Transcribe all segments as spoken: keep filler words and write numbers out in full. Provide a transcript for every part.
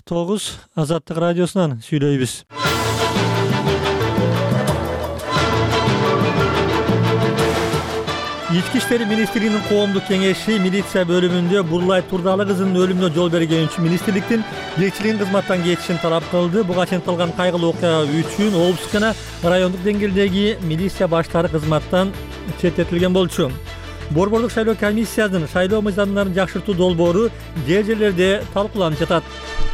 тогуз Азаттык радиосунан сүйлөйбүз. Ички иштер министрлигинин коомдук кеңеши милиция бөлүмүндө Бурлай Турдалы кызынын өлүмүнө жол берген үчүн министрликтин жетекчилигин кызматтан кетишин талап кылды. Буга чейин кылган кайгылуу окуя үчүн облустук жана райондук деңгээлдеги милиция баштары кызматтан четтетилген болчу. Борбордук шайлоо комиссиясынын шайлоо мыйзамдарын жакшыртуу долбоору жер жерлерде талкууланып жатат.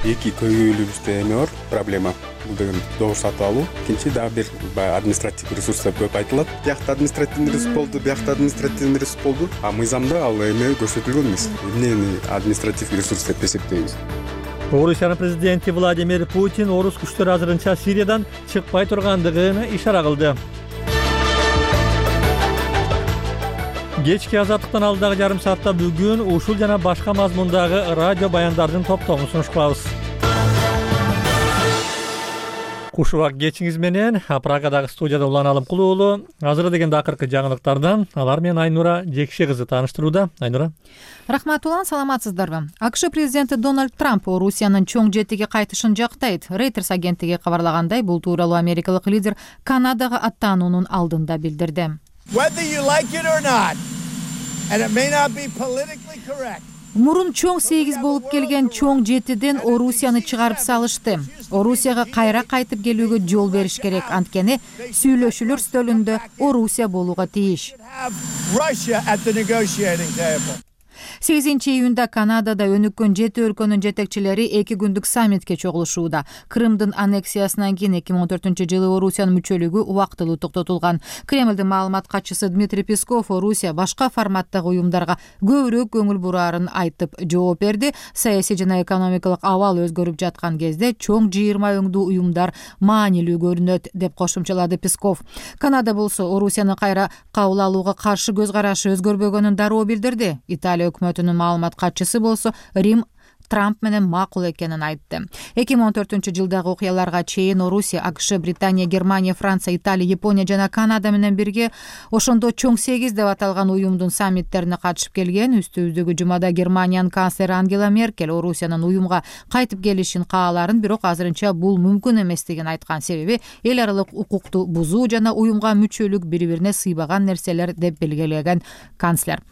Эки көйгөйлүүбүздө эме бар проблема. Бул деген добур сатып алуу. Экинчи дагы бир баягы административдик ресурстар көп айтылат. Биякта административный ресурс болду, биякта административный ресурс болду. А мыйзамда ал эме көрсөтүлгөн эмес. Эмнени административдик ресурс деп эсептейбиз. Орусиянын президенти Владимир Путин орус күчтөрү азырынча Сириядан чыкпай тургандыгын ишара кылды. Кечки азаттыктан алдагы жарым саатта бүгүн ушул жана башка мазмундагы радио баяндардын топтомун сунуш кылабыз. Куш убак кечиңиз менен Прагадагы студияда Улан Алымкулуу уулу. Азыр дегенде акыркы жаңылыктардан алар менен Айнура Жекше кызы тааныштырууда. Айнура. Рахмат Улан, саламатсыздарбы? АКШ президенти Дональд Трамп Орусиянын чоң жетиге кайтышын жактайт. Reuters агенттиги кабарлагандай, бул тууралуу америкалык лидер Канадага аттануунун алдында билдирди. Мурун чоң сегиз болуп келген чоң жетиден Орусияны чыгарып салышты. Орусияга кайра кайтып келүүгө жол бериш керек, анткени сүйлөшүүлөр стөлүндө Орусия болууга тийиш. сегизинчи июнда Канадада өнүккөн жети өлкөнүн жетекчилери эки күндүк саммитке чогулушууда. Крымдын аннексиясынан кийин эки миң он төртүнчү жылы Орусиянын мүчөлүгү убактылуу токтотулган. Кремлдин маалымат катчысы Дмитрий Песков Орусия башка форматтагы уюмдарга көбүрөөк көңүл бураарын айтып жооп берди. Саясий жана экономикалык абал өзгөрүп жаткан кезде чоң жыйырма өңдүү уюмдар маанилүү көрүнөт, деп кошумчалады Песков. Канада болсо Орусияны кайра кабыл алууга каршы көз карашы өзгөрбөгөнүн дароо билдирди. Италия өкмөтүнүн маалымат катчысы болсо Рим Трамп менен макул экенин айтты. эки миң он төртүнчү жылдагы окуяларга чейин Орусия, АКШ, Британия, Германия, Франция, Италия, Япония жана Канада менен бирге ошондо чоң сегиз деп аталган уюмдун саммиттерине катышып келген. Үстүбүздөгү жумада Германиянын канцлери Ангела Меркель Орусиянын уюмга кайтып келишин кааларын, бирок азырынча бул мүмкүн эместигин айткан. Себеби эл аралык укукту бузуу жана уюмга мүчөлүк бири-бирине сыйбаган нерселер деп белгилеген канцлер.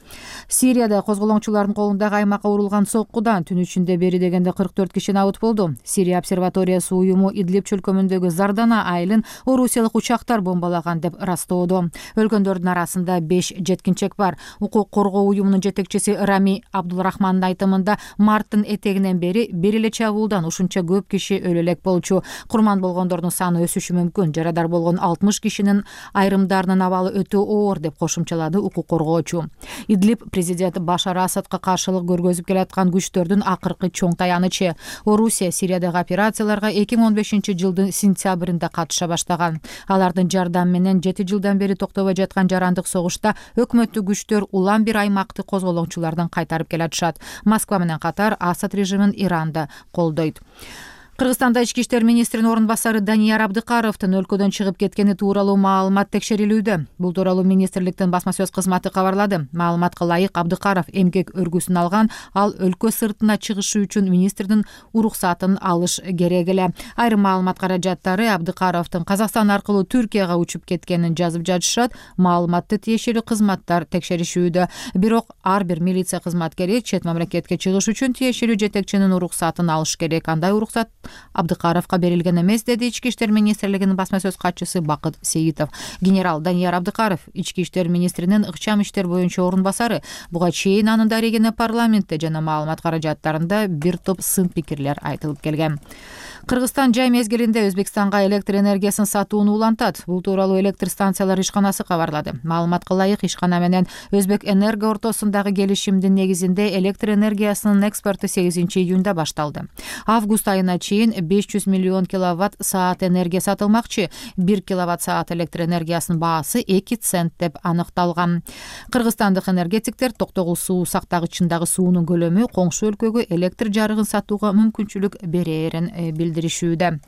Сирияда козголоңчулардын колундагы аймакка урулган соккудан түн ичинде бери дегенде кырк төрт киши абут болду. Сирия обсерваториясы уюму Идлиб чөлкөмүндөгү Зардана айылын орусиялык учактар бомбалаган деп растоодо. Өлгөндөрдүн арасында беш жеткинчек бар. Укук коргоо уюмунун жетекчиси Рами Абдулрахмандын айтымында марттын этегинен бери бир эле чабуулдан ушунча көп киши өлө элек болчу. Курман болгондордун саны өсүшү мүмкүн. Жарадар болгон алтымыш кишинин айрымдарынын абалы өтө оор, деп кошумчалады укук коргоочу. Идлиб президент Башар Асадка каршылык көргөзүп келаткан күчтөрдүн акыркы чоң таянычы. Орусия Сириядагы операцияларга эки миң он бешинчи жылдын сентябрында катыша баштаган. Алардын жардамы менен жети жылдан бери токтобой жаткан жарандык согушта өкмөттүк күчтөр улам бир аймакты козголоңчулардан кайтарып келатышат. Москва менен катар Асад режимин Иранда колдойт. Кыргызстанда ички иштер министринин орун басары Данияр Абдыкаровдун өлкөдөн чыгып кеткени тууралуу маалымат текшерилүүдө. Бул тууралуу министрликтин басма сөз кызматы кабарлады. Маалыматка ылайык, Абдыкаров эмгек өргүсүн алган, ал өлкө сыртына чыгышы үчүн министрдин уруксатын алыш керек эле. Айрым маалымат каражаттары Абдыкаровдун Казакстан аркылуу Түркияга учуп кеткенин жазып жатышат. Маалыматты тиешелүү кызматтар текшеришүүдө. Бирок ар бир милиция кызматкери чет мамлекетке чыгыш үчүн тиешелүү жетекчинин уруксатын алыш керек. Андай уруксат Абдыкаровка берилген эмес, деди ички иштер министрлигинин басма сөз катчысы Бакыт Сейитов. Генерал Данияр Абдыкаров ички иштер министринин ыкчам иштер боюнча орун басары. Буга чейин анын дарегине парламентте жана маалымат каражаттарында бир топ сын пикирлер айтылып келген. Кыргызстан жай мезгилинде Өзбекстанга электр энергиясын сатууну улантат. Бул тууралуу электр станциялар ишканасы кабарлады. Маалыматка ылайык, ишкана менен Өзбек Энерго ортосундагы келишимдин негизинде электр энергиясынын экспорту сегизинчи июнда башталды. Август айына чейин беш жүз миллион киловатт саат энергия сатылмакчы. бир киловатт саат электр энергиясынын баасы эки цент деп аныкталган. Кыргызстандык энергетиктер токтогул суу сактагычындагы суунун көлөмү коңшу өлкөгө электр жарыгын сатууга мүмкүнчүлүк берерин билдиришүүдө.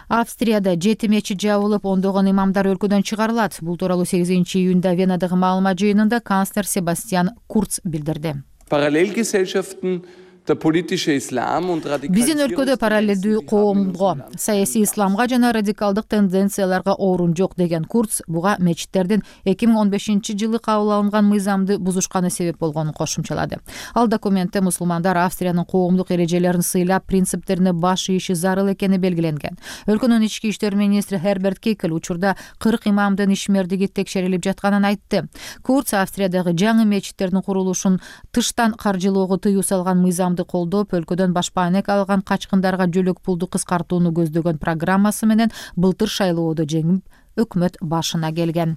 Австрияда жети мечит жабылып, ондогон имамдар өлкөдөн чыгарылат. Бул тууралуу сегизинчи июнда Венадагы маалымат жыйынында канцлер Себастьян Курц билдирди. Parallelgesellschaften Биздин өлкөдө параллелдүү коомго, саясий исламга жана радикалдык тенденцияларга орун жок деген Курц буга мечиттердин эки миң он бешинчи жылы кабыл алынган мыйзамды бузушканы себеп болгонун кошумчалады. Ал документте мусулмандар Австриянын коомдук эрежелерин сыйлап, принциптерине баш ийиши зарыл экени белгиленген. Өлкөнүн ички иштер министри Херберт Кикл учурда кырк имамдын ишмердиги текшерилип жатканын айтты. Курц Австриядагы жаңы мечиттердин курулушун тыштан каржылоого тыюу салган мыйзамды колдоп, өлкөдөн башпаанек алган качкындарга жөлөк пулду кыскартууну көздөгөн программасы менен былтыр шайлоодо жеңип, өкмөт башына келген.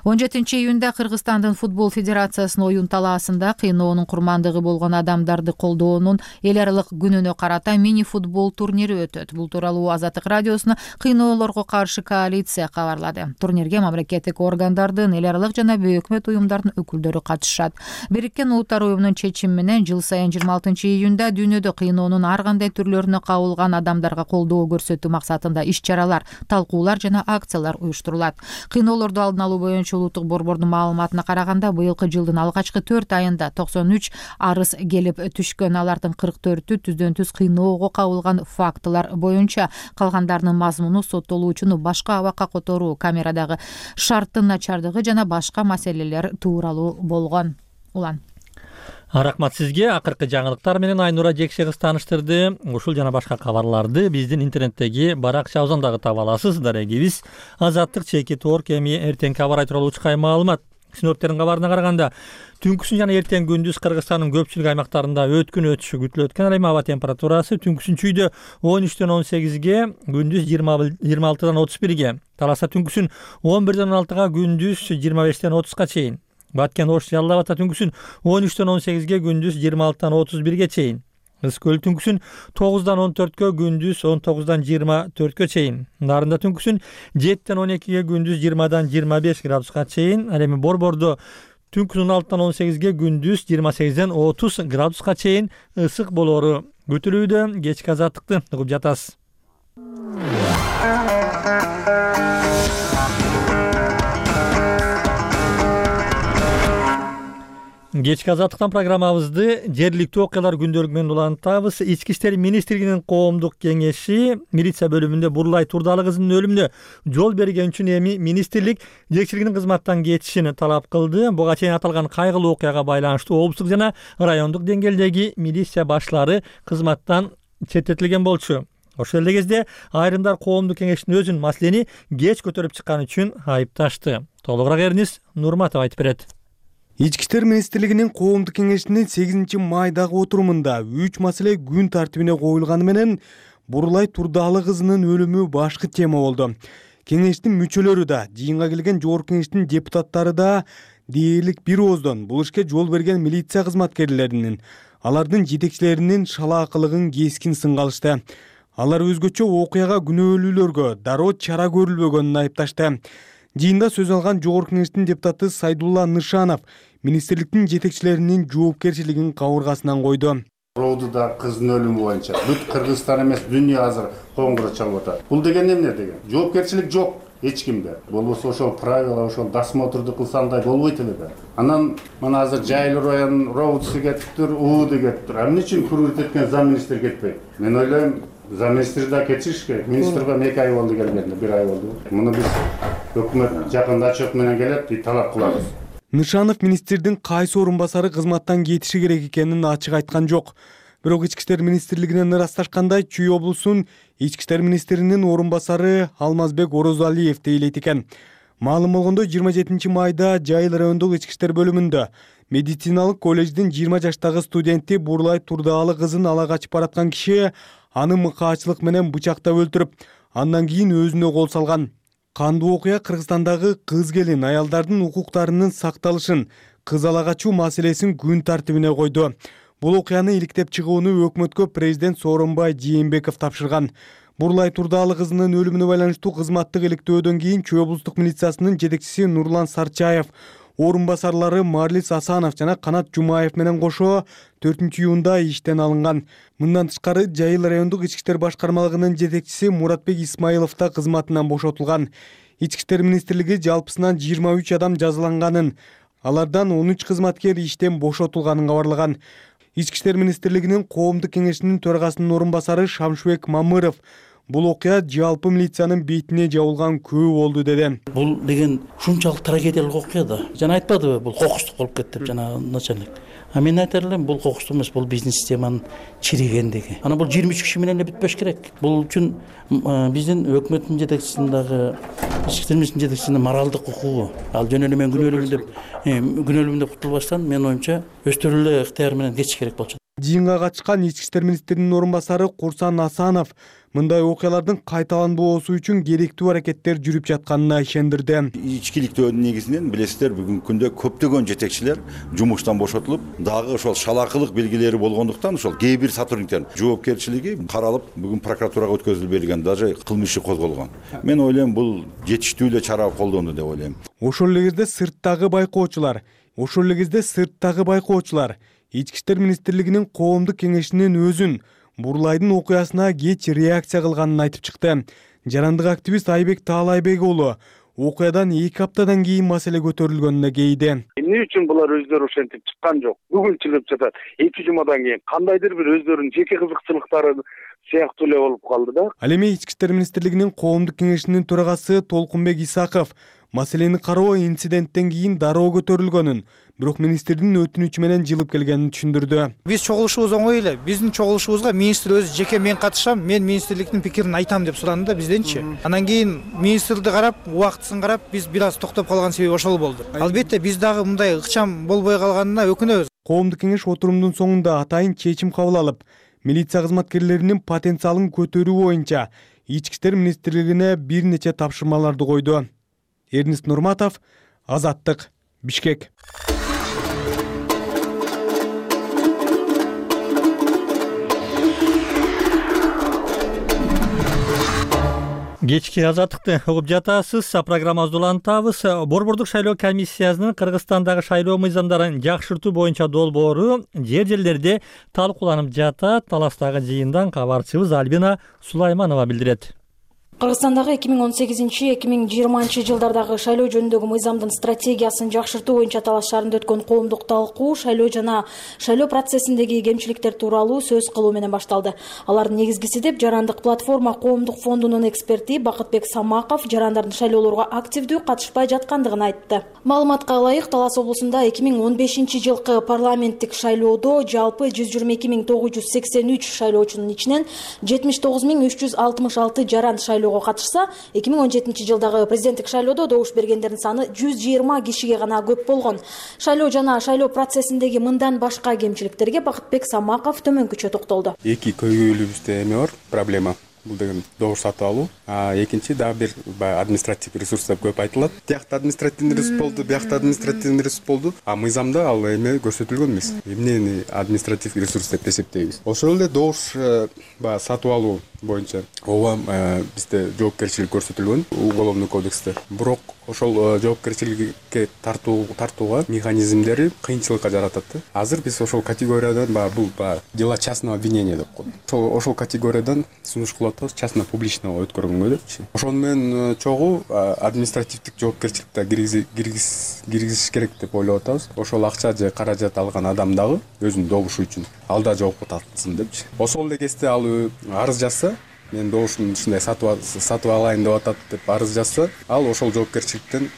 он жетинчи июнда Кыргызстандын футбол федерациясынын оюн талаасында кыйноонун курмандыгы болгон адамдарды колдоонун эл аралык күнүнө карата мини футбол турнири өтөт. Бул тууралуу Азаттык радиосуна кыйноолорго каршы коалиция кабарлады. Турнирге мамлекеттик органдардын, эл аралык жана бейөкмөт уюмдардын өкүлдөрү катышат. Бириккен Улуттар уюмунун чечими менен жыл сайын жыйырма алтынчы июнда дүйнөдө кыйноонун ар кандай түрлөрүнө кабылган адамдарга колдоо көрсөтүү максатында иш-чаралар, талкуулар жана акциялар уюштурулат. Кыйноолорду алдын алуу боюнча улуттук борбордун маалыматына караганда, быйылкы жылдын алгачкы төрт айында токсон үч арыз келип түшкөн. Алардын кырк төртү түздөн түз кыйноого кабылган фактылар боюнча, калгандарынын мазмуну соттолуучуну башка абакка которуу, камерадагы шарттын начардыгы жана башка маселелер тууралуу болгон. Улан. Рахмат сизге. Акыркы жаңылыктар менен Айнура Жекше кыз тааныштырды. Ушул жана башка кабарларды биздин интернеттеги баракчабыздан дагы таба аласыз. Дарегибиз Азаттык чекит орг. Эми эртеңки аба ырайы тууралуу учкай маалымат. Синоптиктердин кабарына караганда, түнкүсүн жана эртең күндүз Кыргызстандын көпчүлүк аймактарында өткүн өтүшү күтүлөт экен. Ал эми аба температурасы түнкүсүн чүйдө он үчтөн он сегизге, күндүз жыйырма алтыдан отуз бирге, Таласа түнкүсүн он бирден он алтыга, күндүз жыйырма бештен отузга чейин. Баткен Ош Жалал Абадта түнкүсүн он үчтөн он сегизге, күндүз жыйырма алтыдан отуз бирге чейин. Ыс көл түнкүсүн тогуздан он төрткө, күндүз он тогуздан жыйырма төрткө чейин. Нарында түнкүсүн жетиден он экиге, күндүз жыйырмадан жыйырма беш градуска чейин. Ал эми Борбордо түнкүсүн он алтыдан он сегизге, күндүз жыйырма сегизден отуз градуска чейин ысык болору күтүлүүдө. Кечки азаттыкты угуп жатасыз. Кечки азаттыктан программабызды жергиликтүү окуялар күндөлүгү менен улантабыз. Ички иштер министрлигинин коомдук кеңеши милиция бөлүмүндө Бурлай Турдалы кызынын өлүмүнө жол берген үчүн эми министрлик жетекчилигинин кызматтан кетишин талап кылды. Буга чейин аталган кайгылуу окуяга байланыштуу облустук жана райондук деңгээлдеги милиция башлары кызматтан четтетилген болчу. Ошол эле кезде айрымдар коомдук кеңештин өзүн маселени кеч көтөрүп чыккан үчүн айыпташты. Толугураак Эрнис Нурматов айтып берет. Ички иштер министрлигинин коомдук кеңешинин сегизинчи майдагы отурумунда үч маселе күн тартибине коюлганы менен Бурлай Турдалы кызынын өлүмү башкы тема болду. Кеңештин мүчөлөрү да, жыйынга келген жогорку кеңештин депутаттары да дээрлик бир ооздон бул ишке жол берген милиция кызматкерлеринин, алардын жетекчилеринин шалаакылыгын кескин сынга алышты. Алар өзгөчө окуяга күнөөлүүлөргө дароо чара көрүлбөгөнүн айыпташты. Жыйында сөз алган жогорку кеңештин депутаты Сайдулла Нышанов министрликтин жетекчилеринин жоопкерчилигин кабыргасынан койду. Роудуда кыздын өлүмү боюнча бүт Кыргызстан эмес, дүйнө азыр коңгуроо чалып атат. Бул деген эмне деген? Жоопкерчилик жок эч кимде. Болбосо ошол правила, ошол досмотрду кылса андай болбойт эле да. Анан мына азыр Жайыл районунун роудусы кетиптир, ууду кетиптир. А эмне үчүн курулт эткен замминистр кетпейт? Мен ойлойм, замминистр да кетишиш керек. Министрге эки ай болду келгенде, бир ай болду. Муну биз өкмөт жакында отчет менен келет, биз талап кылабыз. Нышанов министрдин кайсы орун басары кызматтан кетиши керек экенин ачык айткан жок. Бирок ички иштер министрлигинен ырасташкандай Чүй облусунун ички иштер министринин орун басары Алмазбек Орозалиев дейлейт экен. Маалым болгондой, жыйырма жетинчи майда Жайыл райондук ички иштер бөлүмүндө медициналык колледждин жыйырма жаштагы студенти Бурлай Турдалы кызын ала качып бараткан киши аны мыкаачылык менен бычактап өлтүрүп, андан кийин өзүнө кол салган. Кандуу окуя Кыргызстандагы кыз келин аялдардын укуктарынын сакталышын, кыз ала качуу маселесин күн тартибине койду. Бул окуяны иликтеп чыгууну өкмөткө президент Сооронбай Жээнбеков тапшырган. Бурлай Турдалы кызынын өлүмүнө байланыштуу кызматтык иликтөөдөн кийин Чүй облустук милициясынын жетекчиси Нурлан Сарчаев, орун басарлары Марлис Асанов жана Канат Жумаев менен кошо төртүнчү июнда иштен алынган. Мындан тышкары Жайыл райондук ички иштер башкармалыгынын жетекчиси Муратбек Исмаилов да кызматынан бошотулган. Ички иштер министрлиги жалпысынан жыйырма үч адам жазаланганын, алардан он үч кызматкер иштен бошотулганын кабарлаган. Ички иштер министрлигинин коомдук кеңешинин төрагасынын орун басары Шамшыбек Мамыров бул окуя жалпы милициянын бетине жабылган күбө болду деди. Бул деген ушунчалык трагедиялык окуя да. Жана айтпадыбы, бул кокустук болуп кетти деп жана начальник. А мен айтар элем, бул кокустук эмес, бул биздин системанын чиригендиги. Ана бул жыйырма үч киши менен эле бүтпөш керек. Бул үчүн биздин өкмөттүн жетекчисинин дагы, ички иштер министринин жетекчисинин моралдык укугу. Ал жөн эле мен күнөөлүүмүн деп, күнөөлүүмүн деп кутулбастан, менин оюмча, өздөрү эле ыктыяры менен кетиш керек болчу. Жыйынга катышкан ички иштер министринин орун басары Курсан Асанов мындай окуялардын кайталанбоосу үчүн керектүү аракеттер жүрүп жатканына ишендирди. Ичкиликтөө негизинен билесиздер, бүгүнкү күндө көптөгөн жетекчилер жумуштан бошотулуп, дагы ошол шалакылык белгилери болгондуктан ошол кээ бир сотрудниктердин жоопкерчилиги каралып, бүгүн прокуратурага өткөзүлүп берилген, даже кылмыш иши козголгон. Мен ойлойм, бул жетиштүү эле чара колдонду деп ойлойм. Ошол эле кезде сырттагы байкоочулар, ошол эле кезде сырттагы байкоочулар Ички иштер министрлигинин коомдук кеңешинин өзүн Бурлайдын окуясына кеч реакция кылганын айтып чыкты. Жарандык активист Айбек Таалайбек уулу окуядан эки аптадан кийин маселе көтөрүлгөнүнө кейди. Эмне үчүн булар өздөрү ошентип чыккан жок? Бүгүн чыгып жатат. эки жумадан кийин кандайдыр бир өздөрүнүн жеке кызыкчылыктары сыяктуу эле болуп калды да. Ал эми Ички иштер министрлигинин коомдук кеңешинин төрагасы Толкунбек Исаков маселени кароо инциденттен кийин дароо көтөрүлгөнүн, бирок министрдин өтүнүчү менен жылып келгенин түшүндүрдү. Биз чогулушубуз оңой эле. Биздин чогулушубузга министр өзү жеке мен катышам, мен министрликтин пикирин айтам деп суранды да бизденчи. Анан кийин министрди карап, убактысын карап, биз бир аз токтоп калган себеби ошол болду. Албетте биз дагы мындай ыкчам болбой калганына өкүнөбүз. Коомдук кеңеш отурумдун соңунда атайын чечим кабыл алып, милиция кызматкерлеринин потенциалын көтөрүү боюнча Ички иштер министрлигине бир нече тапшырмаларды койду. Эрнист Нурматов, Азаттык, Бишкек. Кечки Азаттыкты угуп жатасыз. Программабызды улантабыз. Борбордук шайлоо комиссиясынын Кыргызстандагы шайлоо мыйзамдарын жакшыртуу боюнча долбоору жер жерлерде талкууланып жатат. Таластагы жыйындан кабарчыбыз Альбина Сулайманова билдирет. Кыргызстандагы эки миң он сегизинчи эки миң жыйырманчы жылдардагы шайлоо жөнүндөгү мыйзамдын стратегиясын жакшыртуу боюнча талаш шаарында өткөн коомдук талкуу шайлоо жана шайлоо процессиндеги кемчиликтер тууралуу сөз кылуу менен башталды. Алардын негизгиси деп Жарандык платформа коомдук фондунун эксперти Бакытбек Самаков жарандардын шайлоолорго активдүү катышпай жаткандыгын айтты. Маалыматка ылайык, Талас облусунда эки миң он бешинчи жылкы парламенттик шайлоодо жалпы жүз жыйырма эки миң тогуз жүз сексен үч шайлоочунун ичинен жетимиш тогуз миң үч жүз алтымыш алты жаран шайлоо катышса, эки миң он жетинчи жылдагы президенттик шайлоодо добуш бергендердин саны жүз жыйырма кишиге гана көп болгон. Шайлоо жана шайлоо процессиндеги мындан башка кемчиликтерге Бакытбек Самаков төмөнкүчө токтолду. Эки көйгөйлүүбүздө эме бар, проблема. Бул деген добуш сатып алуу. А экинчи дагы бир административдик ресурстар көп айтылат. Тиякта административдик ресурс болду, биякта административдик ресурс болду. А мыйзамда ал эме көрсөтүлгөн эмес. Эмнени административдик ресурс деп эсептейбиз. Ошол эле добуш баягы сатып алуу боюнча ооба бизде жоопкерчилик көрсөтүлгөн уголовный кодексте. Бирок ошол жоопкерчиликке тартуу тартууга механизмдери кыйынчылыкка жаратат да. Азыр биз ошол категориядан баягы бул баягы дела частного обвинения деп коет. Ошол ошол категориядан сунуш кылып атабыз, частно публичного өткөргөнгө депчи. Ошону менен чогуу административдик жоопкерчиликте киргизиш керек деп ойлоп атабыз. Ошол акча же каражат алган адам дагы өзүнүн добушу үчүн ал да жоопко тартылсын депчи. Ошол эле кезде ал арыз жазса, мен добушумду ушундай сатып сатып алайын деп атат деп арыз жазса, ал ошол жоопкерчиликтен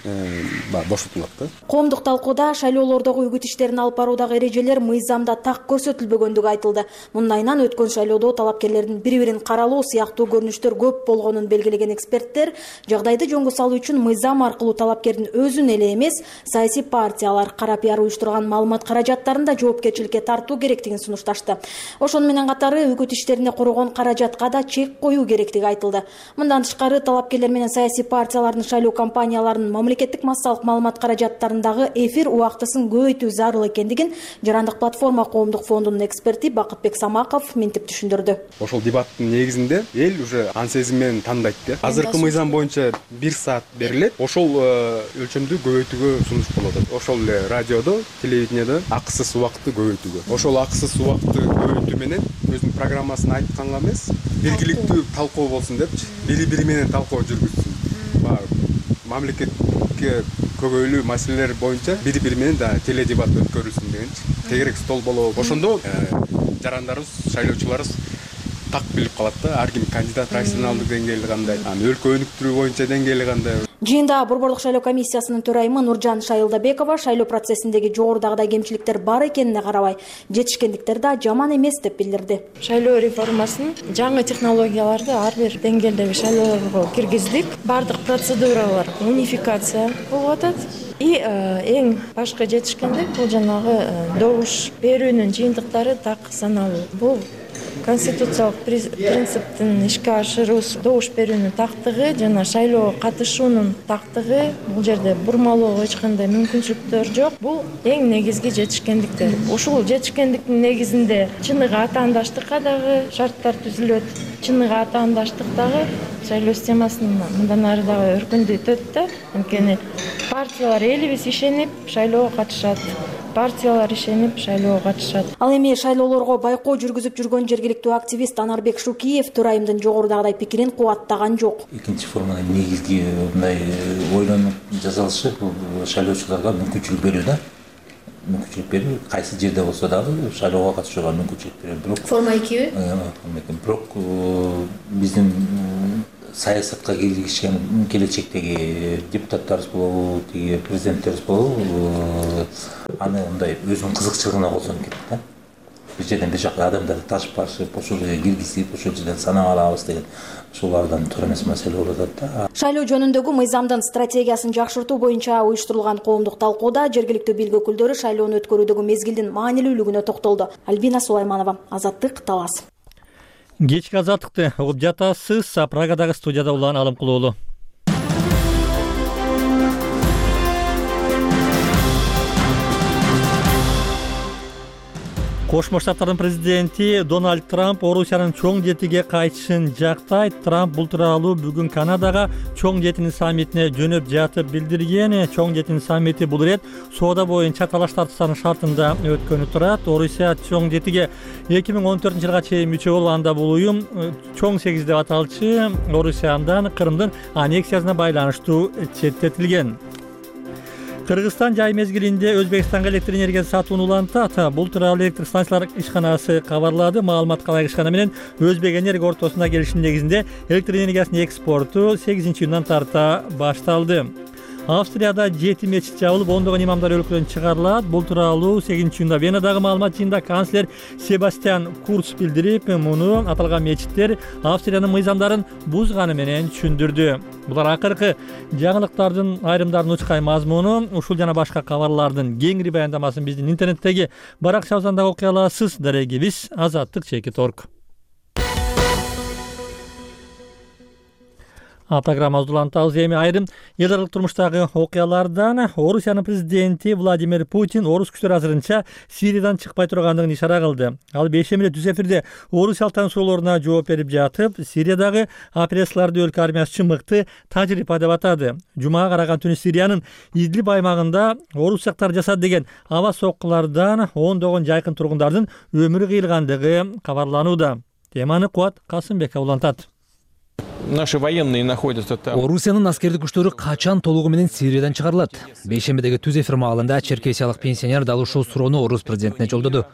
бошотулат да. Коомдук талкууда шайлоолордогу үгүт иштерин алып баруудагы эрежелер мыйзамда так көрсөтүлбөгөндүгү айтылды. Мындайынан өткөн шайлоодо талапкерлердин бири-бирин каралоо сыяктуу көрүнүштөр көп болгонун белгилеген эксперттер жагдайды жөнгө салуу үчүн мыйзам аркылуу талапкердин өзүн эле эмес, саясий партиялар, кара пиар уюштурган маалымат каражаттарын да жоопкерчиликке тартуу керектигин сунушташты. Ошону менен катары үгүт иштерине коргон каражатка да чек коюу керектиги айтылды. Мындан тышкары талапкерлер менен саясий партиялардын шайлоо кампанияларынын мамлекеттик массалык маалымат каражаттарындагы эфир убактысын көбөйтүү зарыл экендигин Жарандык платформа коомдук фондунун эксперти Бакытбек Самаков мынтип түшүндүрдү. Ошол дебаттын негизинде эл уже ан сезим менен тандайт да. Азыркы мыйзам боюнча бир саат берилет. Ошол өлчөмдү көбөйтүүгө сунуш болот. Ошол эле радиодо, телевидениеде акысыз убакытты көбөйтүүгө. Ошол акысыз убакытты көбөйтүү менен өзүнүн программасын айтканга эмес, белгиликтүү талкуу болсун депчи, бири-бири менен талкуу жүргүзсүн. Мамлекетке көбөйлүү маселелер боюнча бири-бири менен да теледебат өткөрүлсүн дегенчи. тегерек стол болобу. Ошондо жарандарыбыз, шайлоочуларыбыз так билип калат да, ар ким кандидат профессионалдык деңгээли кандай, анан өлкө өнүктүрүү боюнча деңгээли кандай. Жыйында Борбордук шайлоо комиссиясынын төрайымы Нуржан Шайылдабекова шайлоо процессиндеги жогорудагыдай кемчиликтер бар экенине карабай, жетишкендиктер да жаман эмес деп билдирди. Шайлоо реформасын жаңы технологияларды ар бир деңгээлдеги шайлоолорго киргиздик. Бардык процедуралар унификация болуп атат. И эң башкы жетишкендик бул жанагы добуш берүүнүн жыйынтыктары так саналуу. Бул конституциялык принциптин ишке ашыруусу, добуш берүүнүн тактыгы жана шайлоого катышуунун тактыгы, бул жерде бурмалоого эч кандай мүмкүнчүлүктөр жок. Бул эң негизги жетишкендиктер. Ушул жетишкендиктин негизинде чыныгы атаандаштыкка дагы шарттар түзүлөт. Чыныгы атаандаштык дагы шайлоо системасын мындан ары дагы өркүндөтөт да. Анткени партиялар элибиз ишенип шайлоого катышат. Партиялар ишенип шайлоого катышат. Ал эми шайлоолорго байкоо жүргүзүп жүргөн жергиликтүү активист Анарбек Шукиев төрайымдын жогорудагыдай пикирин кубаттаган жок. Экинчи форманын негизги мындай ойлонуп жасалышы бул шайлоочуларга мүмкүнчүлүк берүү да. Мүмкүнчүлүк берүү, кайсы жерде болсо дагы шайлоого катышууга мүмкүнчүлүк берүү. Бирок форма экиби? Бирок биздин саясатка киргизишкен келечектеги депутаттарыбыз болобу, тиги президенттерибиз болобу, аны мындай өзүнүн кызыкчылыгына колдонуп кетти да. Бир жерден бир жака адамдарды ташып барышып, ошол жерге киргизип, ошол жерден санап алабыз деген ушулардан туура эмес маселе болуп атат да. Шайлоо жөнүндөгү мыйзамдын стратегиясын жакшыртуу боюнча уюштурулган коомдук талкууда жергиликтүү билги өкүлдөрү шайлоону өткөрүүдөгү мезгилдин маанилүүлүгүнө токтолду. Альбина Сулайманова, Азаттык, Талас. Кечки азаттыкты угуп жатасыз. Прагадагы студияда Улан Алымкулуулу. Кошмо Штаттардын президенти Дональд Трамп Орусиянын чоң жетиге кайтышын жактайт. Трамп бул тууралуу бүгүн Канадага чоң жетинин саммитине жөнөп жатып билдирген. Чоң жетинин саммити бул ирет соода боюнча талаш тартыштардын шартында өткөнү турат. Орусия чоң жетиге эки миң он төртүнчү жылга чейин мүчө болуп, анда бул уюм чоң сегиз деп аталчу. Орусияндан Крымдын аннексиясына байланыштуу четтетилген. Кыргызстан жай мезгилинде Өзбекстанга электр энергиясы сатууну улантат. Бул тууралуу электр станциялар ишканасы кабарлады. Маалыматка ылайык ишкана менен Өзбек энерго ортосунда келишим негизинде электр энергиясынын экспорту сегизинчи июндан тарта башталды. Австрияда жети мечит жабылып, ондогон имамдар өлкөдөн чыгарылат. Бул тууралуу сегизинчи июнда Венадагы маалымат жыйынында канцлер Себастьян Курц билдирип, муну аталган мечиттер Австриянын мыйзамдарын бузганы менен түшүндүрдү. Булар акыркы жаңылыктардын айрымдарын учкай мазмуну. Ушул жана башка кабарлардын кеңири баяндамасын биздин интернеттеги баракчабыздан да окуй аласыз. Дарегибиз Азаттык чекит точка орг. Программабызды улантабыз. Эми айрым эл аралык турмуштагы окуялардан. Орусиянын президенти Владимир Путин орус күчтөрү азырынча Сириядан чыкпай тургандыгын ишара кылды. Ал бейшембиде түз эфирде орусиялыктардын суроолоруна жооп берип жатып, Сириядагы операцияларды өлкө армиясы үчүн мыкты тажрыйба деп атады. Жумага караган түнү Сириянын Идлиб аймагында орусияктар жасады деген аба соккулардан ондогон жайкын тургундардын өмүрү кыйылгандыгы кабарланууда. Теманы Кубат Касымбеков улантат. Наши военные находятся там. Орусиянын аскердик күчтөрү качан толугу менен Сириядан чыгарылат? Бейшембидеги түз эфир маалында черкесиялык пенсионер дал ушул суроону орус президентине жолдоду.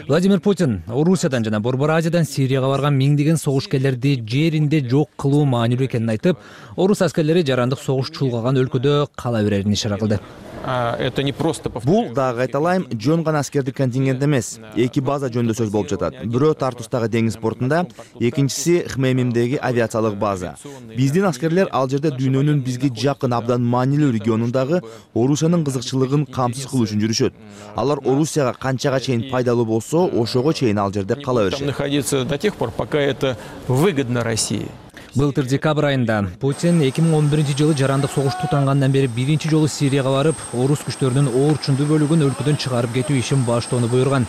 Владимир Путин Орусиядан жана Борбор Азиядан Сирияга барган миңдеген согушкерлерди жеринде жок кылуу маанилүү экенин айтып, орус аскерлери жарандык согуш чулгаган өлкөдө кала берерин ишара кылды. Это не просто Бул дагы айталайм, жөн гана аскердик контингент эмес. Эки база жөнүндө сөз болуп жатат. Бирөө Тартустагы деңиз портунда, экинчиси Хмеймимдеги авиациялык база. Биздин аскерлер ал жерде дүйнөнүн бизге жакын абдан маанилүү регионундагы Орусиянын кызыкчылыгын камсыз кылуу үчүн жүрүшөт. Алар Орусияга канчага чейин пайдалуу болсо, ошого чейин ал жерде кала беришет. Находиться до тех пор, пока это выгодно России. Былтыр декабрь айында Путин эки миң он биринчи жылы жарандык согуш тутангандан бери биринчи жолу Сирияга барып, орус күчтөрүнүн оорчундуу бөлүгүн өлкөдөн чыгарып кетүү ишин баштоону буйруган.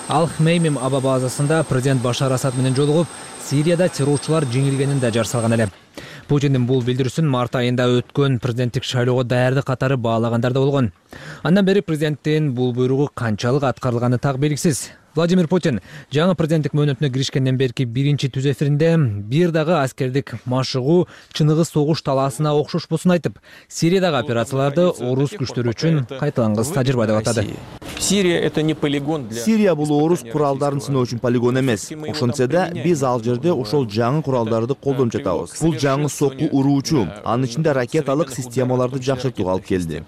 Ал Хмеймим аба базасында президент Башар Асад менен жолугуп, Сирияда террорчулар жеңилгенин да жар салган эле. Путиндин бул билдирүүсүн март айында өткөн президенттик шайлоого даярдык катары баалагандар да болгон. Андан бери президенттин бул буйругу канчалык аткарылганы так белгисиз. Владимир Путин жаңы президенттик мөөнөтүнө киришкенден берки биринчи түз эфиринде бир дагы аскердик машыгуу чыныгы согуш талаасына окшошпосун айтып, Сириядагы операцияларды орус күчтөрү үчүн кайталангыс тажрыйба деп атады. Сирия это не полигон для Сирия бул орус куралдарын сыноо үчүн полигон эмес. Ошентсе да биз ал жерде ошол жаңы куралдарды колдонуп жатабыз. Бул жаңы сокку уруучу, анын ичинде ракеталык системаларды жакшыртууга алып келди.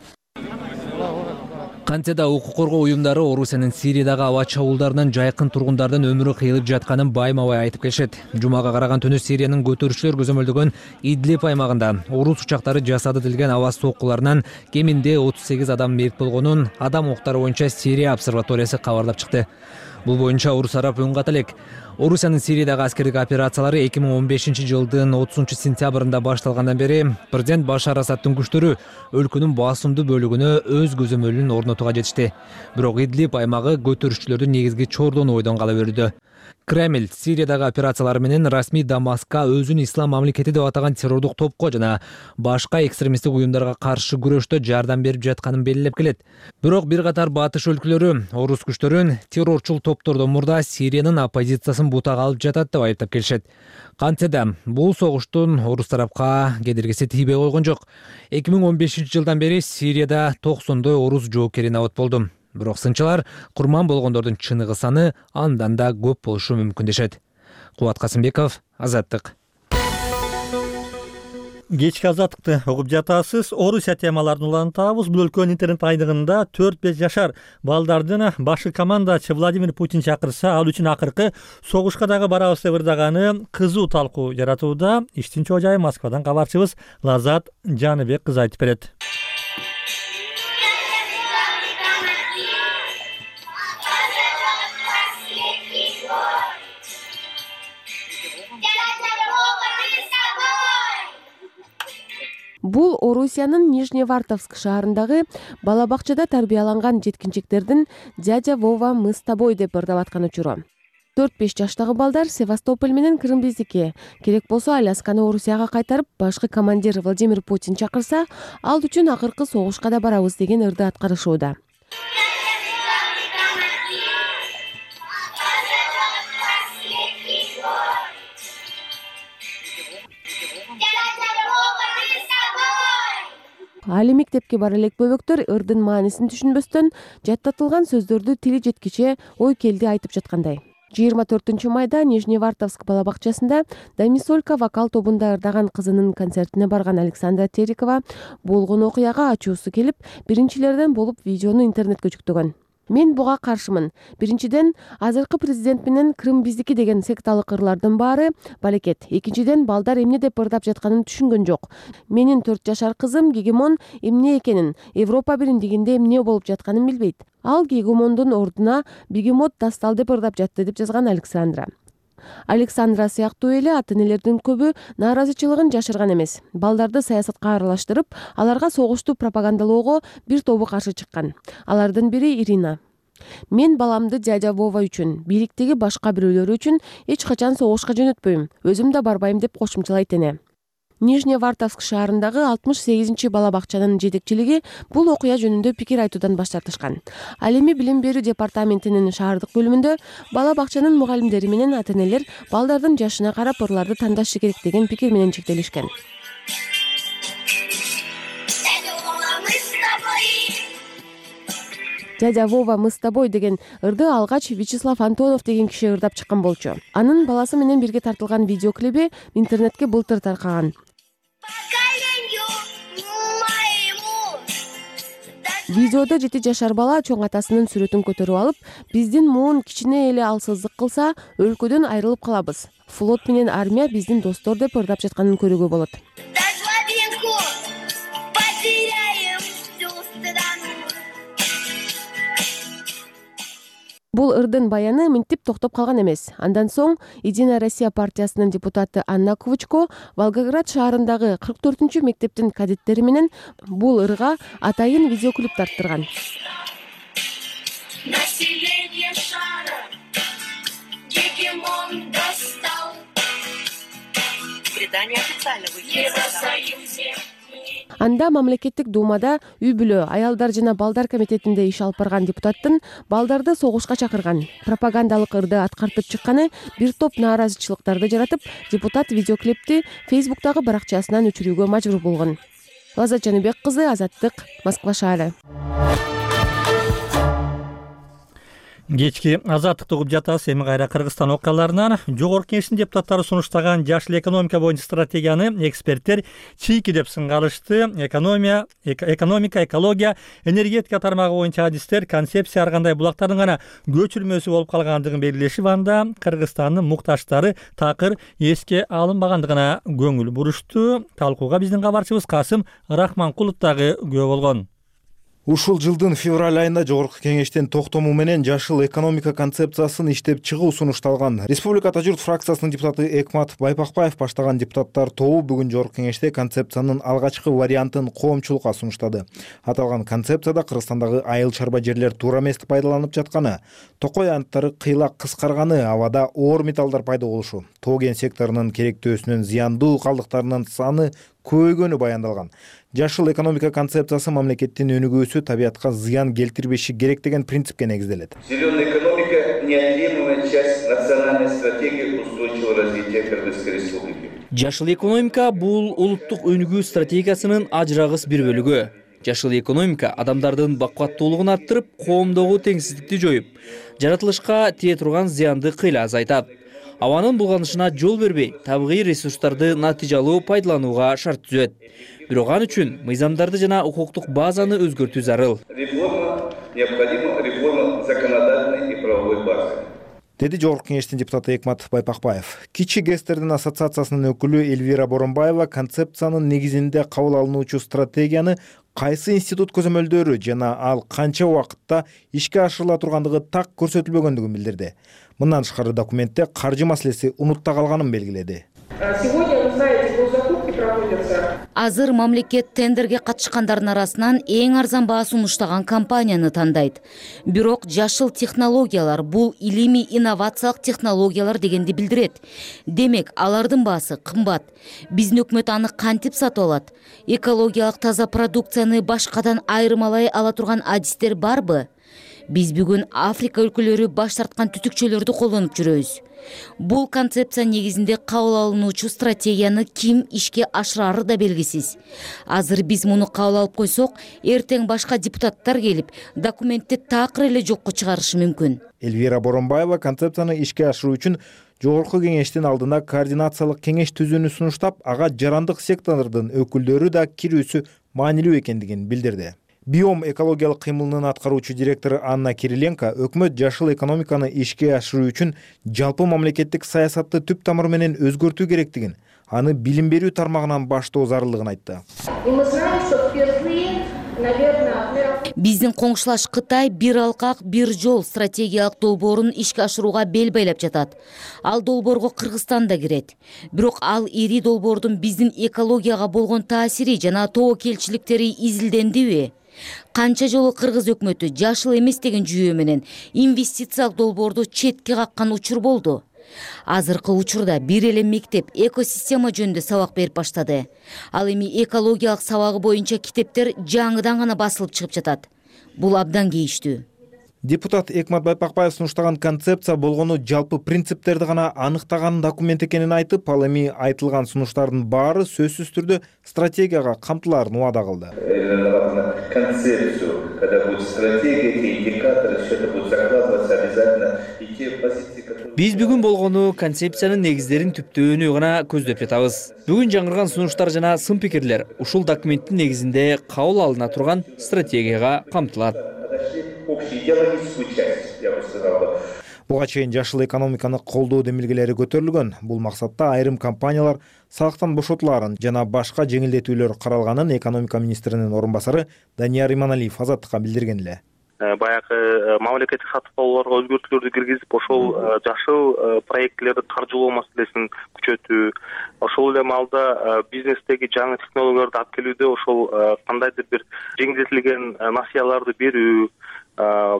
Кантсе да укук коргоо уюмдары Орусиянын Сириядагы аба чабуулдарынан жайкын тургундардын өмүрү кыйылып жатканын байма-бай айтып келишет. Жумага караган түнү Сириянын көтөрүүчүлөр көзөмөлдөгөн Идлиб аймагында орус учактары жасады делген аба соккуларынан кеминде отуз сегиз адам мерт болгонун адам укуктары боюнча Сирия обсерваториясы кабарлап чыкты. Бул боюнча Орус тарап үн ката элек. Орусиянын Сириядагы аскердик операциялары эки миң он бешинчи жылдын отузунчу сентябрында башталгандан бери президент Башар Асадтын күчтөрү өлкөнүн басымдуу бөлүгүнө өз көзөмөлүн орнотууга жетишти. Бирок Идлиб аймагы көтөрүүчүлөрдүн негизги чордону бойдон кала берүүдө. Кремль Сириядагы операциялары менен расмий Дамаскка өзүн ислам мамлекети деп атаган террордук топко жана башка экстремисттик уюмдарга каршы күрөштө жардам берип жатканын белгилеп келет. Бирок бир катар батыш өлкөлөрү орус күчтөрүн террорчул топтордон мурда Сириянын оппозициясын бутага алып жатат деп айыптап келишет. Кантсе да бул согуштун орус тарапка кедергиси тийбей койгон жок. эки миң он бешинчи жылдан бери Сирияда токсондой орус жоокери набат болду. Бирок сынчылар курман болгондордун чыныгы саны андан да көп болушу мүмкүн дешет. Кубат Касымбеков, Азаттык. Кечки азаттыкты угуп жатасыз. Орусия темаларын улантабыз. Бул өлкөнүн интернет айдыгында төрт беш жашар балдардын башкы командачы Владимир Путин чакырса, ал үчүн акыркы согушка дагы барабыз деп ырдаганы кызуу талкуу жаратууда. Иштин чоо жайы Москвадан кабарчыбыз Лазат Жаныбек кыз айтып берет. Бул Орусиянын Нижневартовск шаарындагы бала бакчада тарбияланган жеткинчектердин «Дядя Вова, мы с тобой» деп ырдап аткан учуру. төрт беш жаштагы балдар Севастополь менен Крым биздики. Керек болсо Алясканы Орусияга кайтарып, башкы командир Владимир Путин чакырса, ал үчүн акыркы согушка да барабыз деген ырды аткарышууда. Али мектепке бара элек бөбөктөр ырдын маанисин түшүнбөстөн жаттатылган сөздөрдү тили жеткиче ой келди айтып жаткандай. жыйырма төртүнчү майда Нижневартовск бала бакчасында Дамисолька вокал тобунда ырдаган кызынын концертине барган Александра Терикова болгон окуяга ачуусу келип, биринчилерден болуп видеону интернетке жүктөгөн. Мен буга каршымын. Биринчиден, азыркы президент менен Крым биздики деген секталык ырлардын баары балекет. Экинчиден, балдар эмне деп ырдап жатканын түшүнгөн жок. Менин төрт жашар кызым Гегемон эмне экенин, Европа биримдигинде эмне болуп жатканын билбейт. Ал Гегемондун ордуна Бегемот Дастал деп ырдап жатты деп жазган Александра. Александра сыяктуу эле ата-энелердин көбү нааразычылыгын жашырган эмес. Балдарды саясатка аралаштырып, аларга согушту пропагандалоого бир тобу каршы чыккан. Алардын бири Ирина. Мен баламды дядя Вова үчүн, бийликтеги башка бирөөлөр үчүн эч качан согушка жөнөтпөйм. Өзүм да барбайм деп кошумчалайт эне. Нижневартовск шаарындагы алтымыш сегизинчи бала бакчанын жетекчилиги бул окуя жөнүндө пикир айтуудан баш тартышкан. Ал эми билим берүү департаментинин шаардык бөлүмүндө бала бакчанын мугалимдери менен ата-энелер балдардын жашына карап ырларды тандашы керек деген пикир менен чектелишкен. «Дядя Вова, мы с тобой» деген ырды алгач Вячеслав Антонов деген киши ырдап чыккан болчу. Анын баласы менен бирге тартылган видеоклиби интернетке былтыр таркаган. Видеодо жети жашар бала чоң атасынын сүрөтүн көтөрүп алып, биздин муун кичине эле алсыздык кылса, өлкөдөн айрылып калабыз. Флот менен армия биздин достор деп ырдап жатканын көрүүгө болот. Бул ырдын баяны минтип токтоп калган эмес. Андан соң Единая Россия партиясынын депутаты Анна Квучко Волгоград шаарындагы кырк төртүнчү мектептин кадеттери менен бул ырга атайын видеоклип тарттырган. Население шара Гегемон Дастал. Британия официально выйдет. Анда мамлекеттик думада үй бүлө, аялдар жана балдар комитетинде иш алып барган депутаттын балдарды согушка чакырган, пропагандалык ырды аткартып чыкканы бир топ нааразычылыктарды жаратып, депутат видеоклипти Фейсбуктагы баракчасынан өчүрүүгө мажбур болгон. Лаззат Жаныбек кызы, Азаттык, Москва шаары. Кечки азаттыкты угуп жатабыз. Эми кайра Кыргызстан окуяларынан. Жогорку Кеңештин депутаттары сунуштаган жашыл экономика боюнча стратегияны эксперттер чийки деп сынга алышты. Экономия, экономика, экология, энергетика тармагы боюнча адистер концепция ар кандай булактардын гана көчүрмөсү болуп калгандыгын белгилешип, анда Кыргызстандын муктаждары такыр эске алынбагандыгына көңүл бурушту. Талкууга биздин кабарчыбыз Касым Рахманкулов дагы күбө болгон. Ушул жылдын февраль айында Жогорку Кеңештин токтому менен жашыл экономика концепциясын иштеп чыгуу сунушталган. Республикада журт фракциясынын депутаты Экмат Байпакбаев баштаган депутаттар тобу бүгүн Жогорку Кеңеште концепциянын алгачкы вариантын коомчулукка сунуштады. Аталган концепцияда Кыргызстандагы айыл чарба жерлер туура эмес пайдаланып жатканы, токой аянттары кыйла кыскарганы, абада оор металлдар пайда болушу, тоо кен секторунун керектөөсүнүн зыяндуу калдыктарынын саны көбөйгөнү баяндалган. Жашыл экономика концепциясы мамлекеттин өнүгүүсү табиатка зыян келтирбеши керек деген принципке негизделет. Зеленая экономика – неотъемлемая часть национальной стратегии устойчивого развития Кыргызской республики. Жашыл экономика бул улуттук өнүгүү стратегиясынын ажырагыс бир бөлүгү. Жашыл экономика адамдардын бакуаттуулугун арттырып, коомдогу теңсиздикти жоюп, жаратылышка тие турган зыянды кыйла азайтат. Абанын булганышына жол бербей, табигый ресурстарды натыйжалуу пайдаланууга шарт түзөт. Бирок ал үчүн мыйзамдарды жана укуктук базаны өзгөртүү зарыл. Реформа необходима, реформа законодательной и правовой базы. Деди Жогорку Кеңештин депутаты Экмат Байпакбаев. Кичи ГЭСтердин ассоциациясынын өкүлү Эльвира Боронбаева концепциянын негизинде кабыл алынуучу стратегияны кайсы институт көзөмөлдөрү жана ал канча убакытта ишке ашырыла тургандыгы так көрсөтүлбөгөндүгүн билдирди. Мындан тышкары документте каржы маселеси унутта калганын белгиледи. Азыр мамлекет тендерге катышкандардын арасынан эң арзан баа сунуштаган компанияны тандайт. Бирок жашыл технологиялар бул илимий инновациялык технологиялар дегенди билдирет. Демек, алардын баасы кымбат. Биздин өкмөт аны кантип сатып алат? Экологиялык таза продукцияны башкадан айырмалай ала турган адистер барбы? Биз бүгүн Африка өлкөлөрү баш тарткан түтүкчөлөрдү колдонуп жүрөбүз. Бул концепция негизинде кабыл алынуучу стратегияны ким ишке ашырары да белгисиз. Азыр биз муну кабыл алып койсок, эртең башка депутаттар келип, документти такыр эле жокко чыгарышы мүмкүн. Эльвира Боронбаева концепцияны ишке ашыруу үчүн Жогорку Кеңештин алдына координациялык кеңеш түзүүнү сунуштап, ага жарандык сектордун өкүлдөрү да кирүүсү маанилүү экендигин билдирди. Биом экологиялык кыймылынын аткаруучу директору Анна Кириленко өкмөт жашыл экономиканы ишке ашыруу үчүн жалпы мамлекеттик саясатты түп тамыры менен өзгөртүү керектигин, аны билим берүү тармагынан баштоо зарылдыгын айтты. Биздин коңшулаш Кытай бир алкак, бир жол стратегиялык долбоорун ишке ашырууга бел байлап жатат. Ал долбоорго Кыргызстан да кирет. Бирок ал ири долбоордун биздин экологияга болгон таасири жана тобокелчиликтери изилдендиби? Канча жолу Кыргыз өкмөтү жашыл эмес деген жүйө менен инвестициялык долбоорду четке каккан учур болду. Азыркы учурда бир эле мектеп экосистема жөнүндө сабак берип баштады. Ал эми экологиялык сабагы боюнча китептер жаңыдан гана басылып чыгып жатат. Бул абдан кейиштүү. Депутат Экмат Байпакбаев сунуштаган концепция болгону жалпы принциптерди гана аныктаган документ экенин айтып, ал эми айтылган сунуштардын баары сөзсүз түрдө стратегияга камтылаарын убада кылды. Концепцию, когда будет стратегия, те индикаторы, все это будет закладываться обязательно, и те позиции, которые... Биз бүгүн болгону концепциянын негиздерин түптөөнү гана көздөп жатабыз. Бүгүн жаңырган сунуштар жана сын пикирлер ушул документтин негизинде кабыл алына турган стратегияга камтылат. Буга чейин жашыл экономиканы колдоо демилгелери көтөрүлгөн. Бул максатта айрым компаниялар салыктан бошотуларын жана башка жеңилдетүүлөр каралганын экономика министринин орун басары Данияр Иманалиев Азаттыкка билдирген эле. Баягы мамлекеттик сатып алууларга өзгөртүүлөрдү киргизип, ошол жашыл проектлерди каржылоо маселесин күчөтүү, ошол эле маалда бизнестеги жаңы технологияларды алып келүүдө ошол кандайдыр бир жеңилдетилген насыяларды берүү,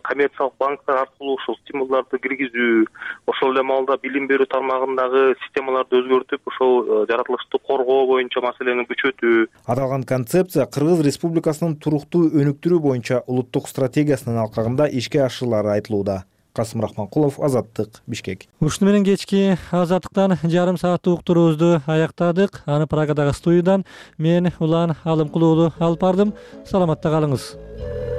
коммерциялык банктар аркылуу ушул стимулдарды киргизүү, ошол эле маалда билим берүү тармагындагы системаларды өзгөртүп, ошол жаратылышты коргоо боюнча маселени күчөтүү. Аталган концепция Кыргыз Республикасынын туруктуу өнүктүрүү боюнча улуттук стратегиясынын алкагында ишке ашырылары айтылууда. Касым Рахманкулов, Азаттык, Бишкек. Ушуну менен кечки Азаттыктан жарым сааттык уктуруубузду аяктадык. Аны Праgadагы студиядан мен Улан Алымкулуу алып бардым. Саламатта калыңыз.